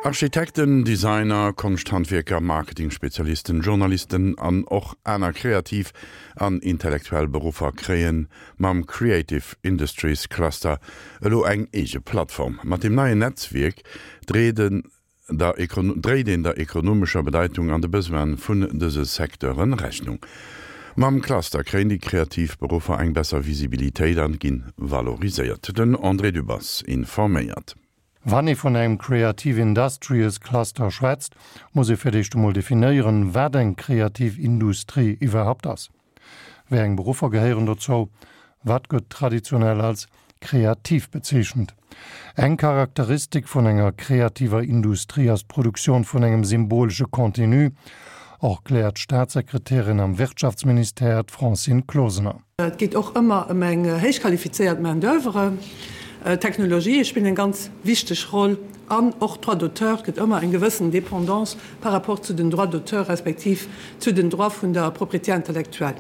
Architekten, Designer, Konschthandwierker, Marketingspezialisten, Journalisten an och aner kreativ an intellektuell Beruffer kréie mam Creative Industries Cluster elo eng eege Plattform. Mat deem neien Netzwierk dréit een der ekonomescher Bedeitung an de Besoine vun dëse Secteure Rechnung. Mam Cluster kréien déi kreativ Beruffer eng besser Visibilitéit an ginn valoriséiert. Den André Dübbers informéiert. Wann ee vun engem Creative Industries Cluster schwätzt, muss ee fir d'éischt emol definéieren, wat eng kreativ Industrie iwwerhaupt ass. Wéi eng Beruffer gehéieren dozou? Wat gëtt traditionell als kreativ bezeechent? Eng Charakteristik vun enger kreativer Industrie ass d'Produktioun vun engem symbolesche Contenu, erkläert d'Staatssekretärin am Wirtschaftsministère, d'Francine Closener. Et geet och ëmmer ëm eng héich qualifizéiert Main d'oeuvre. D'Technologië spillen eng ganz wichteg Roll an och d'Droits d'auteur. Et gëtt ëmmer eng gewëssen Dépendance par rapport zu den Droits d'auteur respektiv zu den Droits vun der Propriété intellectuelle.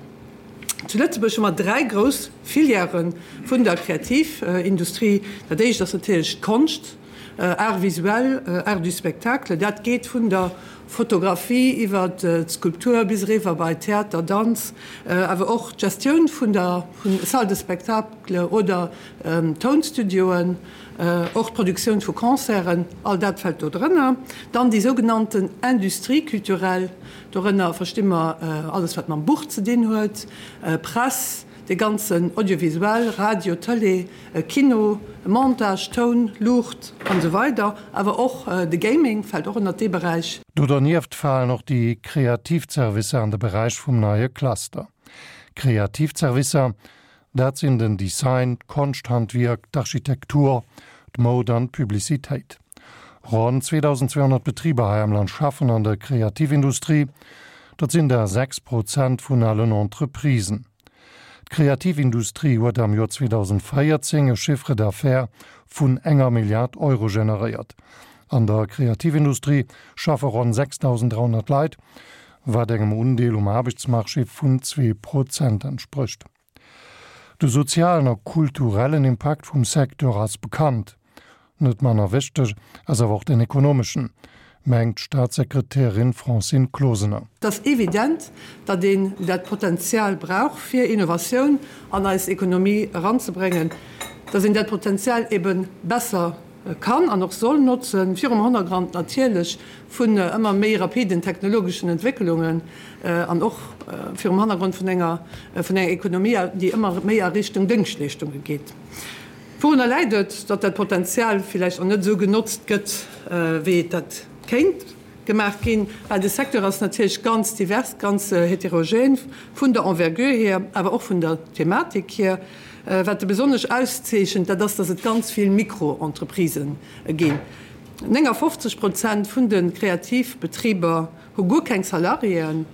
Zu Lëtzebuerg hu mer dräi grouss Filièrë vun der Kreativindustrie. Dat éischt ass natierlech d'Konscht. Arts visuels, Arts du spectacle, dat geet vun der Fotografie iwwer d'Skulptur bis eriwwer bei Theater, Danz, awer och d'Gestioun vun der Salle de spectacle oder Tounstudioen, och d'Produktioun vu Concerten, all dat fält do drënner. Dann déi sougenannten Industrie culturelle, dorënner versti mer alles wat mam Buch ze dinn huet, Press, dee ganzen Audiovisuel, Radio, Tëlee, Kino, Montage, Toun, Luucht an esou weider, awer och de Gaming fält och ënnert dee Beräich. Do dernieft falen och déi kreativ Zerwisser an de Beräich vum neie Cluster. Kreativ Zerwisser, dat sinn den Design, d'Konschthandwierk, d'Architektur, d'Moud an d'Publicitéit. Ronn 2.200 Betriber hei am Land schaffen an der Kreativindustrie, dat sinn der 6 Prozent vun allen Entreprisen. D'Kreativindustrie huet am Joer 2014 e Chiffre d'affaires vun enger Milliard Euro generéiert. An der Kreativindustrie schaffe ronn 6.300 Leit, wat engem Undeel um Aarbechtsmarché vun 2 Prozent entsprécht. De sozialen a kulturellen Impakt vum Secteur ass bekannt. Net manner wichteg ass awer och den ekonomeschen, mengt d'Staatssekretärin Francine Closener. Et ass evident, datt een dat Potenzial brauch, fir Innovatioun an eis Ekonomie eranzebréngen, datt een dat Potenzial ebe besser kann an och soll notzen, virum Hannergrond natierlech vun ëmmer méi rapiden technologeschen Entwécklungen an och virum Hannergrond vun enger Ekonomie, déi ëmmer méi a Richtung Déngschtleeschtunge geet. Wourunner läit et, datt dat Potenzial villäicht och net esou genotzt gëtt, wéi et dat kéint gemaach ginn? Well de Secteur ass natierlech ganz divers, ganz heterogen vun der Envergure hier, awer och vun der Thematik hier. Wat e besonnesch auszeechent, dat ass, datt et ganz vill Mikro-Entreprisë ginn. 59 Prozent vun de Kreativbetriber hu guer keng Salariéen.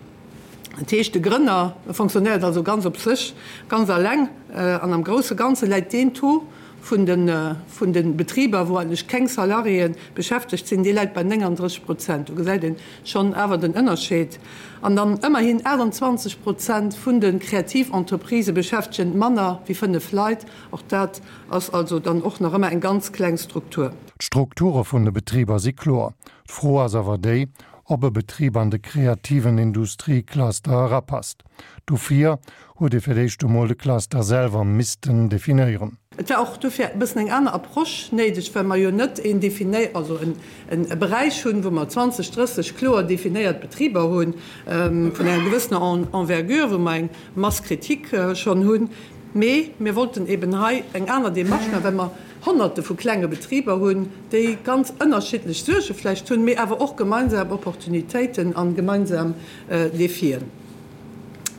Dat heescht, de Grënner fonctionnéiert also ganz op sech, ganz alleng. An am grousse Ganze läit deen Taux vun de vun de Betriber, wou eigentlech keng Salariéen beschäftegt sinn, dee läit bei 39 Prozent. Do gesäit ee schonn awer den Ënnerscheed. An dann ëmmerhin 28 Prozent vun de Kreativentreprisë beschäftegen manner wéi 5 Leit. Och dat ass also dann och nach ëmmer eng ganz kleng Struktur. D'Strukture vun de Betriber si kloer. D'Fro ass awer déi, ob e Betrib an de kreativen Industriecluster erapasst. Dofir huet ee fir d'éischt emol de Cluster selwer missten definéieren. Et war och dofir e bëssen eng aner Approche néideg, well mer jo net een definé-, also e Beräich hunn, wou mer 20, 30 kloer definéiert Betriber hunn, vun enger gewëssener Envergure, wou mer eng Masse critique schonn hunn. Mee mir wollten eben hei eng aner Démarche maachen, well mer Honnerte vu klenge Betriber hunn, déi ganz ënnerschiddlech Suerge vläicht hunn, mee awer och gemeinsam Opportunitéiten a gemeinsam Defien.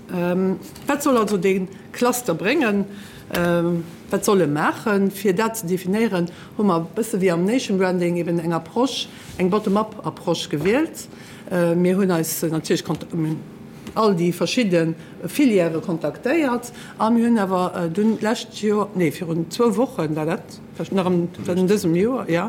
Wat soll also dee Cluster bréngen? Wat soll e maachen? Fir dat ze definéieren, hu mer e bësse wéi am Nation Branding eben eng Approche, eng Bottom-up-Approche gewielt. Mir hunn eis natierlech all déi verschidde Filièrë kontaktéiert a mir hunn awer dunn d'lescht Joer, nee virun zwou Woche war dat, nach an dësem Joer, jo,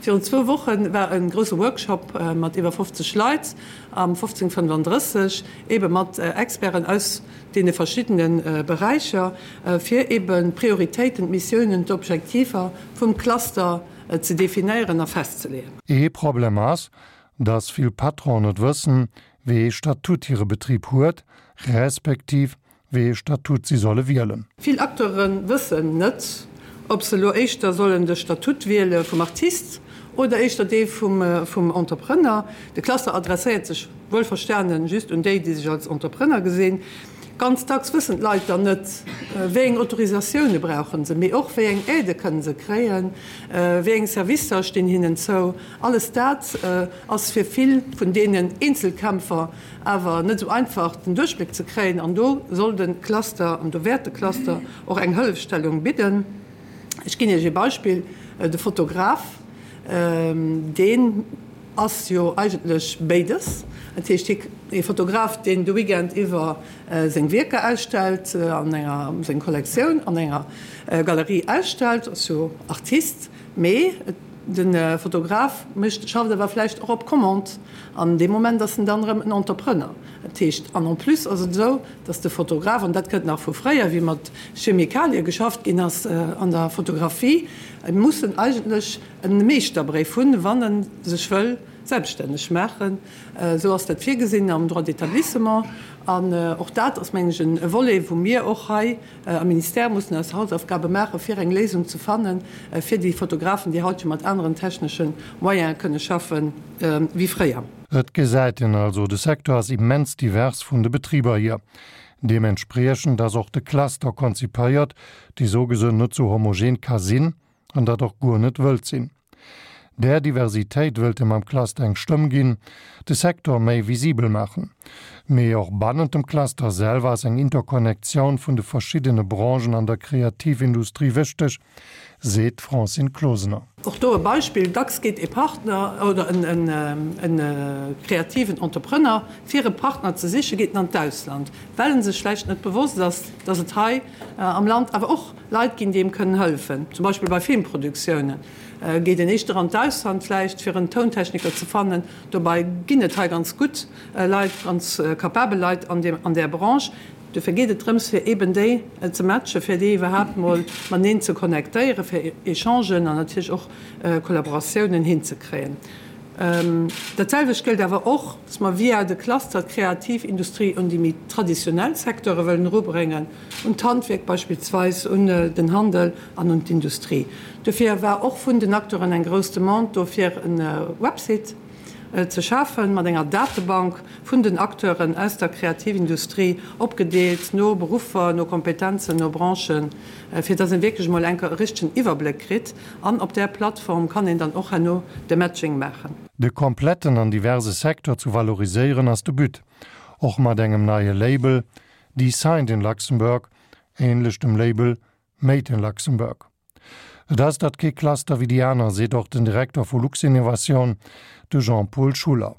virun zwou Woche war e grousse Workshop mat iwwer 50 Leit am 1535, eebe mat Experten aus deene verschiddene Beräicher, fir eeben d'Prioritéiten, d'Missiounen, d'Objektiver vum Cluster. ze definéieren a festzeleeën. Ee Problem ass, dass vill Patronen net wëssen, wéi ee Statut hire Betrib huet, respektiv wéi ee Statut si solle wielen. Vill Acteure wëssen net, ob se elo éischter sollen de Statut wiele vum Artist oder éischter dee vum Entrepreneur. De Cluster adresséiert sech wuelverstanen just un déi, déi sech als Entrepreneur gesinn. Ganz dacks wëssen d'Leit dann net, wéi eng Autorisatioune brauche se, mee och wéi eng Aidë kënne se kréien, wéi eng Servicer stinn hinnen zou. Alles dat ass fir vill vun deenen Eenzelkämpfer awer net esou einfach den Duerchbléck ze kréien. An do soll de Cluster an do wäert de Cluster och eng Hëllefstellung bidden. Ech ginn Iech ee Beispill, De Fotograf, deen ass jo eigentlech béides. Dat heescht, hie, ee Fotograf, deen de Weekend iwwer seng Wierker ausstellt, an enger, seng Kollektioun an enger Galerie ausstellt, ass jo Artist. Mee de Fotograf mécht, schafft awer vläicht och op Commande an dee Moment ass en dann erëm en Entrepreneur. Dat heescht, an en plus ass et esou, dass de Fotograf, an dat kënnt nach vu fréier, wéi mat Chemikalie geschafft ginn ass an der Fotografie, e muss en eigentlech e Meeschterbréif hunn, wann e sech wëll selbststänneg maachen. Esou ass dat virgesinn am Droit d'établissement. An och dat ass, mengen ech, e Volet, wou mir och hei am Ministère mussen eis Hausaufgabe maachen, fir eng Léisung ze fannen, fir déi Fotografen, déi haut jo mat aneren technesche Moyene kënne schaffen wéi fréier. Et gesäit een also, de Secteur ass immens divers vun de Betriber hier. Deementspriechend ass och de Cluster konzipéiert, dee sougesou net sou homogen ka sinn an dat och guer net wëllt sinn. Där Diversitéit wëllt e mam Cluster eng Stëmm ginn, de Secteur méi visibel maachen. Mee och bannent dem Cluster selwer ass eng Interkonnektioun vun de verschiddene Branchen an der Kreativindustrie wichteg, seet d'Francine Closener. Och do e Beispill, Dacks geet e Partner oder e kreativen Entrepreneur, fir e Partner ze sichen, geet en an d'Ausland, well en sech vläicht net bewosst ass, dass et hei am Land awer och Leit ginn, déi em kënnen hëllefen. Zum Beispill bei Filmproduktioune geet een éischter an d'Ausland vläicht, fir en Tountechniker ze fannen. Dobei ginn et hei ganz gutt Leit, ganz capabel Leit an där Branche. Dofir geet et drëms, fir eeben déi ze matchen, fir déi iwwerhaapt mol mateneen ze connectéieren, fir Echangen an natierlech och Kollaboratiounen hinzekréien. Dat selwecht gëllt awer och, dass mer via de Cluster d'Kreativindustrie un déi méi traditionell Secteure wëllen erubréngen, un d'Handwierk beispillsweis, un den Handel an un d'Industrie. Dofir war och vun den Acteuren eng grouss Demande do, fir e Website ze schafen mat enger Datebank vun den Acteuren aus der Kreativindustrie, opgedeelt no Beruffer, no Kompetenzen, no Branchen, fir dass een wierklech emol enker e richtegen Iwwerbléck kritt. An op där Plattform kann een dann och herno de Matching maachen. De kompletten an diverse Secteur zu valoriséieren ass de But, och mat engem neie Label, Designed in Luxembourg, ähnlech dem Label Made in Luxembourg. Et ass dat kee Cluster wéi déi aner, seet och den Direkter vu Luxinnovation, de Jean-Paul Schuller.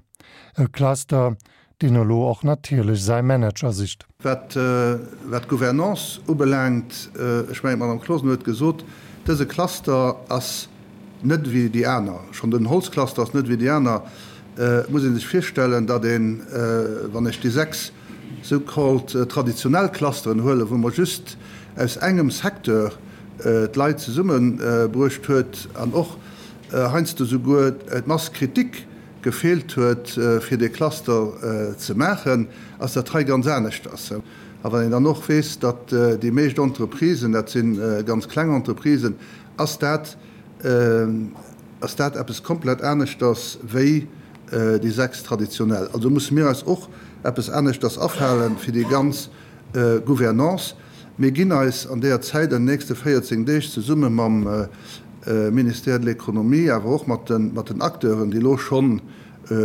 E Cluster, deen elo och natierlech säi Manager sicht. Wat d'Gouvernance ubelaangt, ech mengen, d'Madame Closener huet gesot, dëse Cluster ass net ewéi déi aner. Schonn den Holzcluster ass net ewéi déi aner. Et muss ee sech virstellen, datt een, wann ech déi 6 so called traditionell Clusteren huelen, wou mer just aus engem Secteur d'Leit zesummebruecht huet an och heiansdo souguer d'Masse critique gefeelt huet, fir dee Cluster ze maachen, ass dat hei ganz aneschters. A wann een dann och weess, datt déi meescht Entreprisen, dat si ganz kleng Entreprisen, ass dat, ass dat eppes komplett aneschters wéi déi 6 traditionell. Also musse mir eis och eppes aneschters afalen fir déi ganz Gouvernance. Mir ginn eis an deeër Zäit, an den nächste 14 Deeg, zesumme mam Ministère de l'Économie, awer och mat den Acteuren, déi elo schonn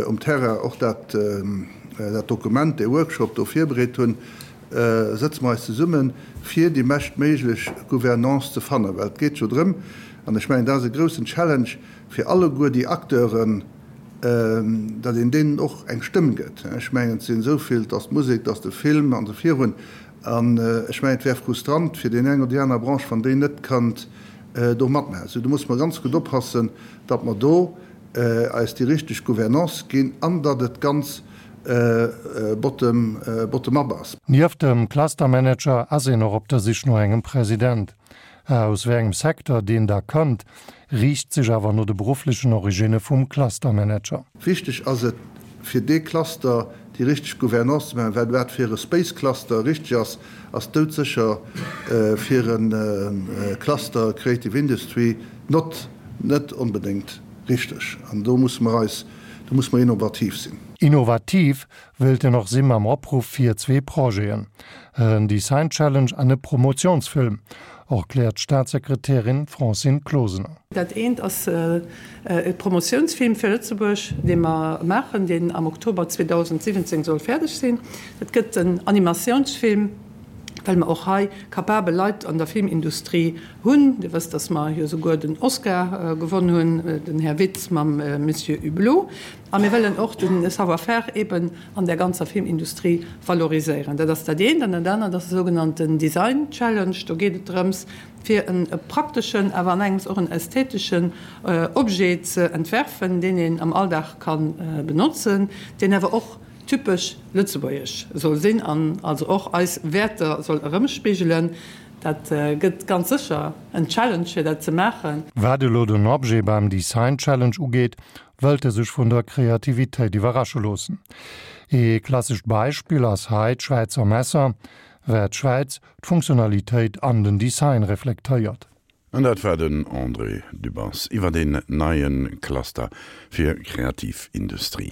um Terrain och dat Dokument, dee Workshop do virbereet hunn, sëtze mer eis zesummen, fir déi beschtméiglech Gouvernance ze fannen. Well et geet jo drëm, an ech mengen, dat ass e groussen Challenge fir alleguer déi Acteuren, datt een deenen och eng Stëmm gëtt. Ech mengen, et sinn esou vill, et ass d'Musek, et ass de Film an esou virun. An ech mengen, et wär frustrant fir déi eng oder déi aner Branche, wann déi net kënnt do matmaachen. Sou, do musse mer ganz gutt oppassen, datt mer do eis déi richteg Gouvernance ginn an datt et ganz bottom, bottom up ass. Nieft dem Clustermanager ass een och op der Sich no engem President. Aus wéi engem Secteur deen da kënnt, riicht sech awer no de berufflechen Originne vum Clustermanager. Wichteg ass et, fir dee Cluster déi richteg Gouvernance ze maachen, well wat fir e Space Cluster richteg ass, ass doudsécher fir e Cluster Creative Industry not net onbedéngt richteg. An do musse mer eis, do musse mer innovativ sinn. Innovativ wéilt en och si mam Opruff fir zwee Projeten, en Design Challenge an e Promotionsfilm, erkläert d'Staatssekretärin Francine Closener. Dat eent ass e Promotiounsfilm fir Lëtzebuerg, dee mer maachen, deen am Oktober 2017 soll fäerdeg sinn. Dat gëtt en Animatiounsfilm, well mer och hei capabel Leit an der Filmindustrie hunn. Dir wësst, datt mer jo souguer den Oscar gewonn hunn, den Här Witz mam Monsieur Hublot. A mir wëllen och de Savoir-faire eben an där ganzer Filmindustrie valoriséieren. Dat ass dat eent. An dat anert ass de sougenannten Design Challenge. Do geet et drëms, fir e prakteschen, awer an engems och en ästheteschen Objet ze entwerfen, deen een am Alldag ka benotzen, deen awer och typesch lëtzebuergesch soll sinn an also och eis Wäerter soll erëmspigelen. Dat gëtt ganz sécher en Challenge, fir dat ze maachen. Wat elo den Objet beim Design Challenge ugeet, wëllt e sech vun der Kreativitéit iwwerrasche loossen. Ee klassescht Beispill ass hei d'Schwäizer Messer, wat d'Schwäiz, d'Funktionalitéit an den Design reflektéiert. An dat war den André Dübbers iwwer een neie Cluster fir kreativ Industrie.